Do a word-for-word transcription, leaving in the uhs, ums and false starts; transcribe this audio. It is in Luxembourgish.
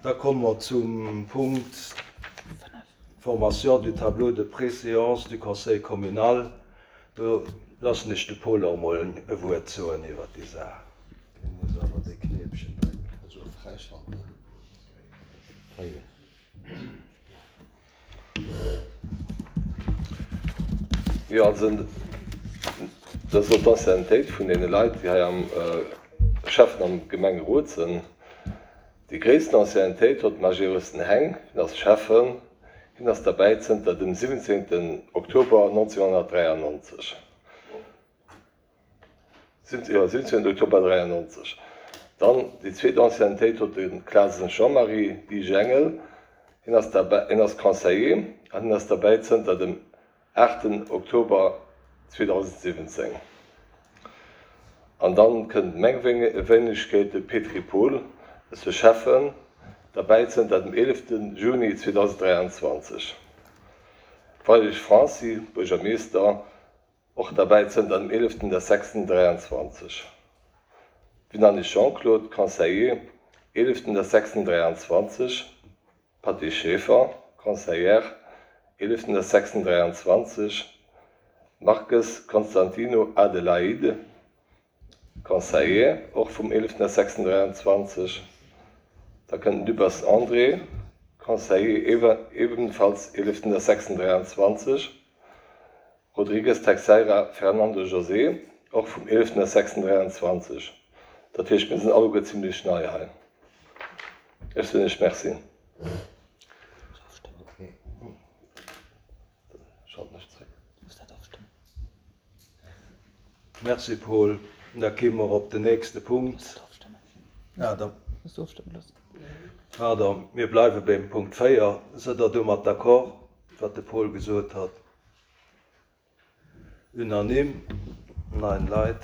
Da komme mer zum Punkt Formation du tableau de préséance du Conseil communal. Do loossen ech de Paul och mol e Wuert soen iwwer déi Saach. Dee muss awer de Knéipchen drécken. Also fräischalten. Hei. Jo, also dat ass och d'Anciennetéit vun deene Leit, déi hei am Schäffen am Gemengerot sinn. Déi gréissten Anciennetéit huet de Majerus Heng, hien ass Schäffen, hien ass derbäi zënter dem siwwenzéngten Oktober nonzénhonnertdräiannonzeg. Jo, siwwenzéngten Oktober dräiannonzeg. Dann déi zweet Anciennetéit huet de Clasen Jean-Marie, D J Engel, hien ass derbäi, hien ass Conseiller an hien ass derbäi zënter dem aachten Oktober zweedausendsiwwenzéng. An dann kënnt meng Wéinegkeet, de Petry Paul, ass de Schäffen, derbäi zënter dem eelefte Juni zweedausenddräianzwanzeg. Weirich Franci, Buergermeeschter, och derbäi zënter dem eeleften sechsten dräianzwanzeg. Winanich Jean-Claude, Conseiller, eeleften sechsten dräianzwanzeg. Patty Schaefer, Conseillère, eeleften sechsten dräianzwanzeg. Marques Constantino Adelaide, Conseiller, och vum eeleften sechsten dräianzwanzeg. Da kënnt Dübbers André, Conseiller, ebenfalls eeleften sechsten dräianzwanzeg. Rodrigues Teixeira Fernando José, och vum eeleften sechsten dräianzwanzeg. Dat heescht, mir sinn alleguer zimlech nei hei. Ech soen Iech Merci. Schalten ech zréck. Merci Paul. Da gi mer op den nächste Punkt. Ah, da, pardon, mir bleiwe beim Punkt véier. Sidd Der domat d'accord, wat de Paul gesot hat? Unanime? Nein Leit.